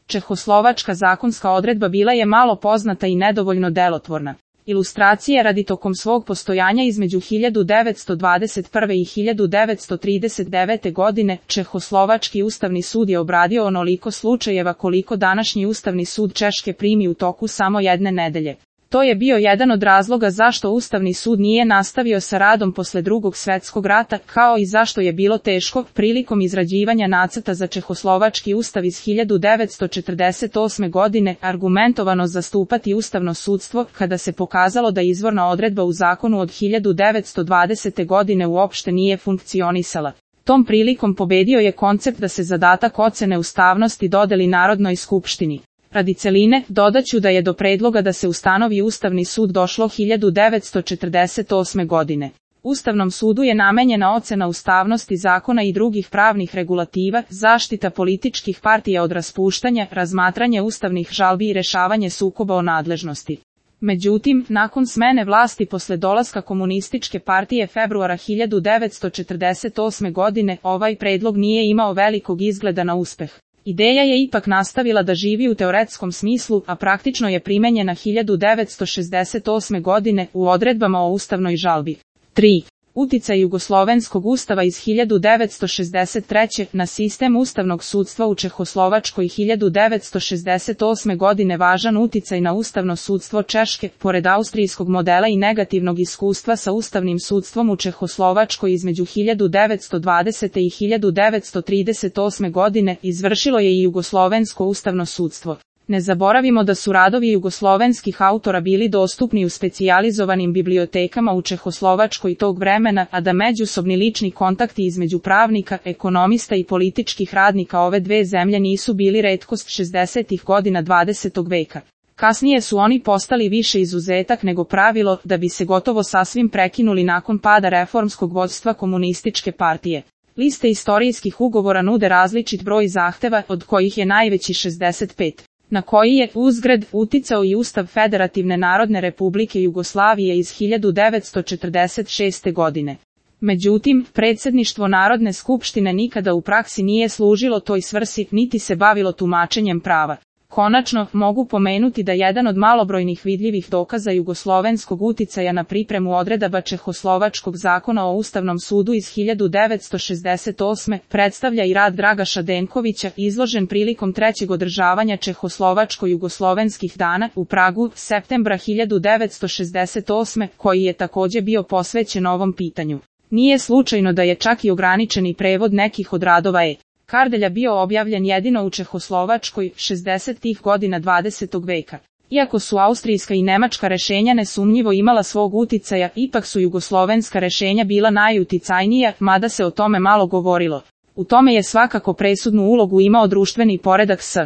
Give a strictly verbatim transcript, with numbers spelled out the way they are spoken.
Čehoslovačka zakonska odredba bila je malo poznata i nedovoljno delotvorna. Ilustracije radi tokom svog postojanja između hiljadu devetsto dvadeset prve i hiljadu devetsto trideset devete. godine, Čehoslovački ustavni sud je obradio onoliko slučajeva koliko današnji Ustavni sud Češke primi u toku samo jedne nedelje. To je bio jedan od razloga zašto Ustavni sud nije nastavio sa radom posle Drugog svetskog rata, kao i zašto je bilo teško, prilikom izrađivanja nacrta za Čehoslovački ustav iz hiljadu devetsto četrdeset osme. godine, argumentovano zastupati ustavno sudstvo, kada se pokazalo da izvorna odredba u zakonu od hiljadu devetsto dvadesete. godine uopšte nije funkcionisala. Tom prilikom pobedio je koncept da se zadatak ocene ustavnosti dodeli Narodnoj skupštini. Radi celine, dodaću da je do predloga da se ustanovi Ustavni sud došlo hiljadu devetsto četrdeset osme. godine. Ustavnom sudu je namenjena ocena ustavnosti zakona i drugih pravnih regulativa, zaštita političkih partija od raspuštanja, razmatranje ustavnih žalbi i rešavanje sukoba o nadležnosti. Međutim, nakon smene vlasti posle dolaska Komunističke partije februara hiljadu devetsto četrdeset osme. godine, ovaj predlog nije imao velikog izgleda na uspeh. Ideja je ipak nastavila da živi u teoretskom smislu, a praktično je primenjena hiljadu devetsto šezdeset osme. godine u odredbama o ustavnoj žalbi. tri. Uticaj Jugoslovenskog ustava iz hiljadu devetsto šezdeset treće. na sistem ustavnog sudstva u Čehoslovačkoj hiljadu devetsto šezdeset osme. godine važan uticaj na ustavno sudstvo Češke, pored austrijskog modela i negativnog iskustva sa ustavnim sudstvom u Čehoslovačkoj između hiljadu devetsto dvadesete. i hiljadu devetsto trideset osme. godine, izvršilo je i Jugoslovensko ustavno sudstvo. Ne zaboravimo da su radovi jugoslovenskih autora bili dostupni u specijalizovanim bibliotekama u Čehoslovačkoj tog vremena, a da međusobni lični kontakti između pravnika, ekonomista i političkih radnika ove dve zemlje nisu bili retkost šezdesetih godina dvadesetog veka. Kasnije su oni postali više izuzetak nego pravilo, da bi se gotovo sasvim prekinuli nakon pada reformskog vodstva Komunističke partije. Liste istorijskih ugovora nude različit broj zahteva, od kojih je najveći šezdeset pet. Na koji je, uzgred, uticao i Ustav Federativne Narodne Republike Jugoslavije iz hiljadu devetsto četrdeset šeste. godine. Međutim, predsjedništvo Narodne skupštine nikada u praksi nije služilo toj svrsi, niti se bavilo tumačenjem prava. Konačno, mogu pomenuti da jedan od malobrojnih vidljivih dokaza jugoslovenskog uticaja na pripremu odredaba Čehoslovačkog zakona o Ustavnom sudu iz hiljadu devetsto šezdeset osme. predstavlja i rad Dragaša Denkovića, izložen prilikom trećeg održavanja Čehoslovačko-jugoslovenskih dana u Pragu, septembra hiljadu devetsto šezdeset osme. koji je takođe bio posvećen ovom pitanju. Nije slučajno da je čak i ograničeni prevod nekih od radova E. Kardelja bio objavljen jedino u Čehoslovačkoj, šezdesetih godina dvadesetog veka. Iako su austrijska i nemačka rešenja nesumnjivo imala svog uticaja, ipak su jugoslovenska rešenja bila najuticajnija, mada se o tome malo govorilo. U tome je svakako presudnu ulogu imao društveni poredak S.